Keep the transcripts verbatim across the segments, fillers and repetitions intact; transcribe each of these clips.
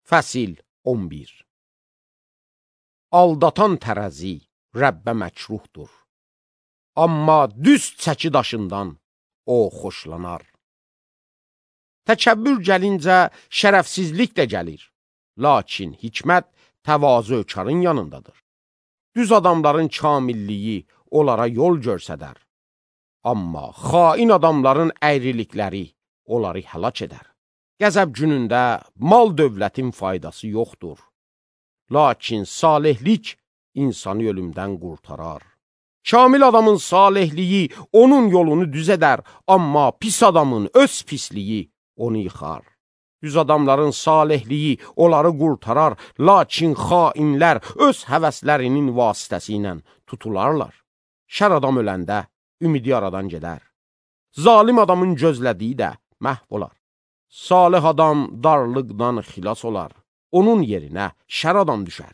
Fəsil on bir. Aldatan tərəzi Rəbbə məkruhdur. Amma düz çəki daşından o xoşlanar. Təkəbbür gəlincə şərəfsizlik də gəlir. Lakin hikmət təvazökarın yanındadır. Düz adamların kamilliyi onlara yol görsədər. Amma xain adamların əyrilikləri onları həlak edər. Qəzəb günündə mal dövlətin faydası yoxdur. Lakin salihlik insanı ölümdən qurtarar. Kamil adamın salihliyi onun yolunu düz edər, amma pis adamın öz pisliyi onu yıxar. Düz adamların salihliyi onları qurtarar, lakin xainlər öz həvəslərinin vasitəsi ilə tutularlar. Şər adam öləndə ümidi yaradan gedər. Zalim adamın gözlədiyi də məhv olar. Salih adam darlıqdan xilas olar. Onun yerinə şər adam düşər.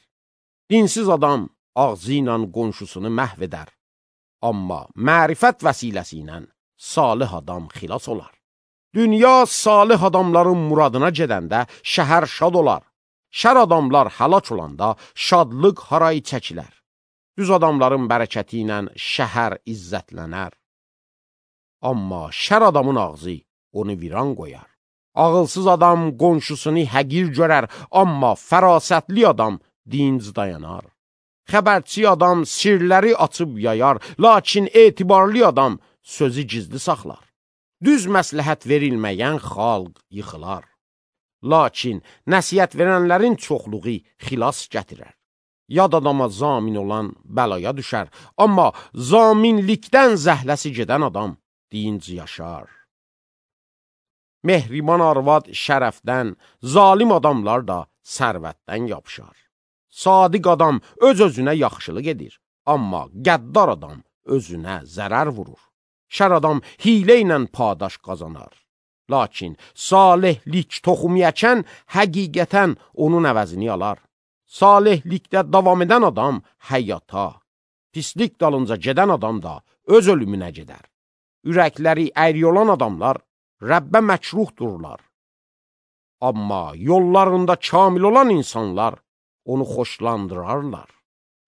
Dinsiz adam ağzı ilə qonşusunu məhv edər. Amma mərifət vəsiləsi ilə salih adam xilas olar. Dünya salih adamların muradına gedəndə şəhər şad olar. Şər adamlar həlak olanda şadlıq harayı çəkilər. Düz adamların bərəkəti ilə şəhər izzətlənər. Amma şər adamın ağzı onu viran qoyar. Ağılsız adam qonşusunu həqir görər, amma fərasətli adam dinc dayanar. Xəbərçi adam sirləri açıb yayar, lakin etibarlı adam sözü gizli saxlar. Düz məsləhət verilməyən xalq yıxılar. Lakin nəsihət verənlərin çoxluğu xilas gətirər. Yad adama zamin olan bəlaya düşər, amma zaminlikdən zəhləsi gedən adam dinc yaşar. Mehriban arvad şərəfdən, zalim adamlar da sərvətdən yapışar. Sadiq adam öz-özünə yaxşılıq edir, amma qəddar adam özünə zərər vurur. Şər adam hilə ilə padaş qazanar. Lakin salihlik toxum yəkən həqiqətən onun əvəzini alar. Salihlikdə davam edən adam həyata, pislik dalınca gedən adam da öz ölümünə gedər. Ürəkləri əyri olan adamlar Rəbbə məkruhdurlar. Amma yollarında kamil olan insanlar onu xoşlandırarlar.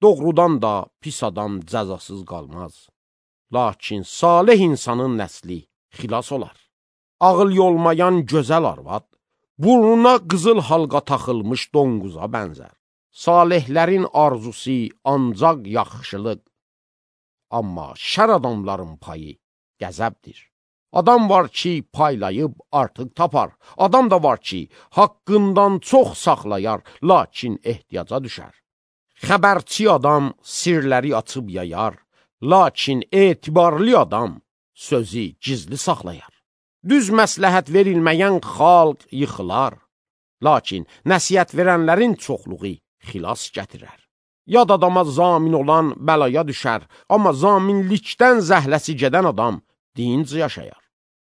Doğrudan da pis adam cəzasız qalmaz. Lakin salih insanın nəsli xilas olar. Ağıl yolmayan gözəl arvad, burnuna qızıl halqa taxılmış donquza bənzər. Salihlərin arzusu ancaq yaxşılıq. Amma şər adamların payı qəzəbdir. Adam var ki, paylayıb artıq tapar. Adam da var ki, haqqından çox saxlayar, lakin ehtiyaca düşər. Xəbərçi adam sirləri açıb yayar, lakin etibarlı adam sözü gizli saxlayar. Düz məsləhət verilməyən xalq yıxılar, lakin nəsihət verənlərin çoxluğu xilas gətirər. Yad adama zamin olan bəlaya düşər, amma zaminlikdən zəhləsi gedən adam dinc yaşayar.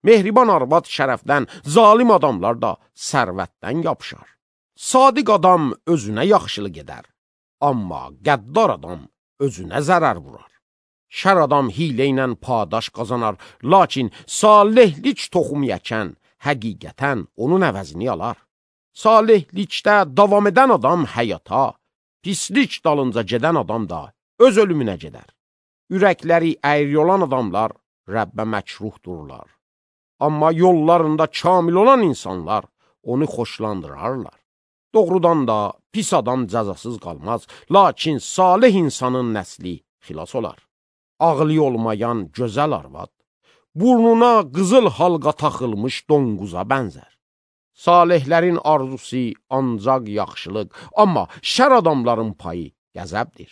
Mehriban arvad şərəfdən, zalim adamlar da sərvətdən yapışar. Sadiq adam özünə yaxşılıq edər, amma qəddar adam özünə zərər vurar. Şər adam hilə ilə padaş qazanar, lakin salihlik toxum yəkən həqiqətən onun əvəzini alar. Salihlikdə davam edən adam həyata, pislik dalınca gedən adam da öz ölümünə gedər. Ürəkləri əyri olan adamlar Rəbbə məkruhdurlar. Amma yollarında kamil olan insanlar onu xoşlandırarlar. Doğrudan da pis adam cəzasız qalmaz, lakin salih insanın nəsli xilas olar. Ağlı olmayan gözəl arvad, burnuna qızıl halqa taxılmış donquza bənzər. Salihlərin arzusu ancaq yaxşılıq, amma şər adamların payı qəzəbdir.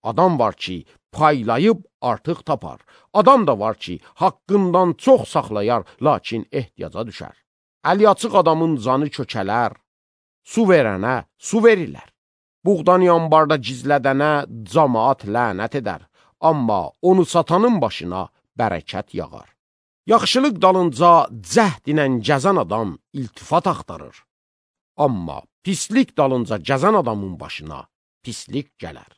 Adam var ki, paylayıb artıq tapar. Adam da var ki, haqqından çox saxlayar, lakin ehtiyaca düşər. Əli açıq adamın canı kökələr, su verənə su verirlər. Buğdanı ambarda gizlədənə camaat lənət edər, amma onu satanın başına bərəkət yağar. Yaxşılıq dalınca cəhd ilə gəzən adam iltifat axtarır, amma pislik dalınca gəzən adamın başına pislik gələr.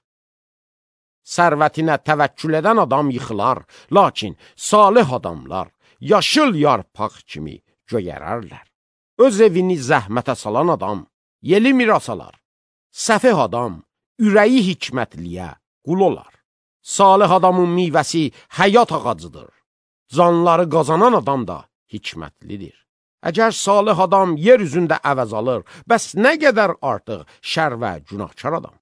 Sərvətinə təvəkkül edən adam yıxılar, lakin salih adamlar yaşıl yarpaq kimi göyərərlər. Öz evini zəhmətə salan adam yeli miras alar. Səfeh adam, ürəyi hikmətliyə qul olar. Salih adamın meyvəsi həyat ağacıdır. Canları qazanan adam da hikmətlidir. Əgər salih adam yer üzündə əvəz alır, bəs nə qədər artıq şər və günahkar adam?